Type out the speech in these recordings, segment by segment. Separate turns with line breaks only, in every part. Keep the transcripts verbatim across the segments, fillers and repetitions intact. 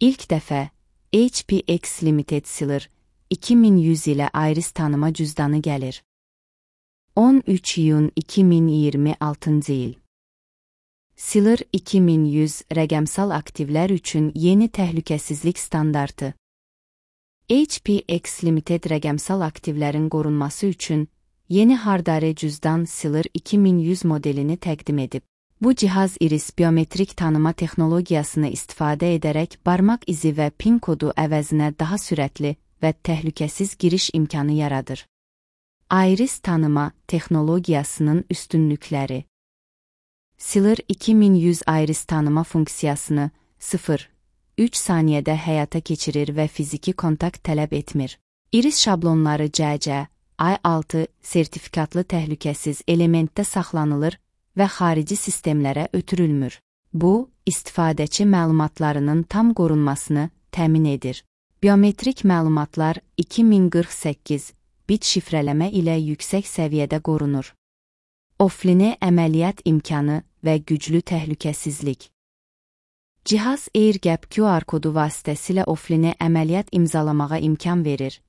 İlk dəfə H P X Limited Sealer iki min yüz ilə iris tanıma cüzdanı gəlir. on üç iyun iki min iyirmi altıncı il. Sealer iki min yüz rəqəmsal aktivlər üçün yeni təhlükəsizlik standartı. H P X Limited rəqəmsal aktivlərin qorunması üçün yeni hardare cüzdan Sealer iki min yüz modelini təqdim edib. Bu cihaz iris biometrik tanıma texnologiyasını istifadə edərək barmaq izi və PIN kodu əvəzinə daha sürətli və təhlükəsiz giriş imkanı yaradır. Iris tanıma texnologiyasının üstünlükləri. Sealer iki min yüz iris tanıma funksiyasını sıfır nöqtə üç saniyədə həyata keçirir və fiziki kontakt tələb etmir. Iris şablonları C C I altı sertifikatlı təhlükəsiz elementdə saxlanılır və xarici sistemlərə ötürülmür. Bu, istifadəçi məlumatlarının tam qorunmasını təmin edir. Biometrik məlumatlar iki min qırx səkkiz bit şifrələmə ilə yüksək səviyyədə qorunur. Offline əməliyyat imkanı və güclü təhlükəsizlik. Cihaz AirGap Q R kodu vasitəsilə offline əməliyyat imzalamağa imkan verir.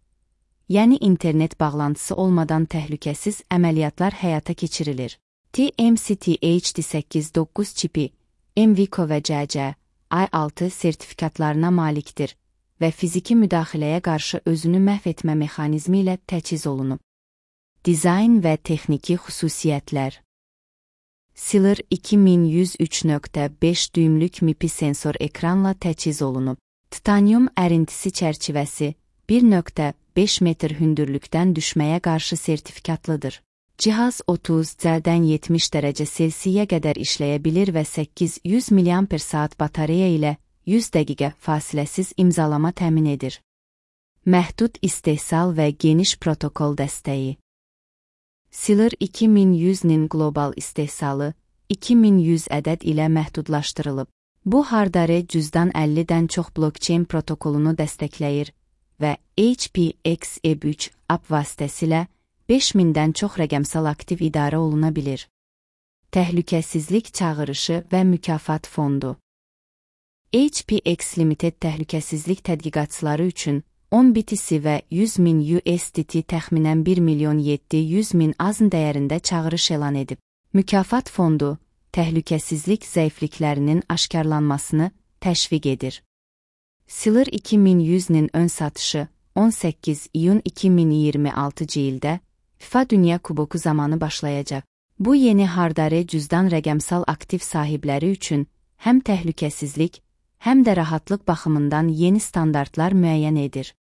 Yəni internet bağlantısı olmadan təhlükəsiz əməliyyatlar həyata keçirilir. T M C T H D səkkiz doqquz çipi M V C O və C C I altı sertifikatlarına malikdir və fiziki müdaxiləyə qarşı özünü məhv etmə mexanizmi ilə təchiz olunub. Dizayn və texniki xüsusiyyətlər. Sealer iki min yüz üç nöqtə beş düymlük M I P I sensor ekranla təchiz olunub. Titanium ərintisi çərçivəsi bir nöqtə beş metr hündürlükdən düşməyə qarşı sertifikatlıdır. Cihaz otuz dərəcədən yetmiş dərəcə Selsiyə qədər işləyə bilir və səkkiz yüz milliamper saat batareya ilə yüz dəqiqə fasiləsiz imzalama təmin edir. Məhdud istehsal və geniş protokol dəstəyi. Sealer iki min yüzün qlobal istehsalı iki min yüz ədəd ilə məhdudlaşdırılıb. Bu hardare cüzdan əllidən çox blockchain protokolunu dəstəkləyir və H P X E B üç app vasitəsilə beş mindən çox rəqəmsal aktiv idarə oluna bilir. Təhlükəsizlik çağırışı və mükafat fondu. H P X Limited təhlükəsizlik tədqiqatçıları üçün on bitisi və yüz min U S D T təxminən bir milyon yeddi yüz min azn dəyərində çağırış elan edib. Mükafat fondu, təhlükəsizlik zəifliklərinin aşkarlanmasını təşviq edir. Sealer iki min yüzün ön satışı on səkkiz iyun iki min iyirmi altıncı ildə FIFA Dünya Kuboku zamanı başlayacaq. Bu yeni hardare cüzdan rəqəmsal aktiv sahibləri üçün həm təhlükəsizlik, həm də rahatlıq baxımından yeni standartlar müəyyən edir.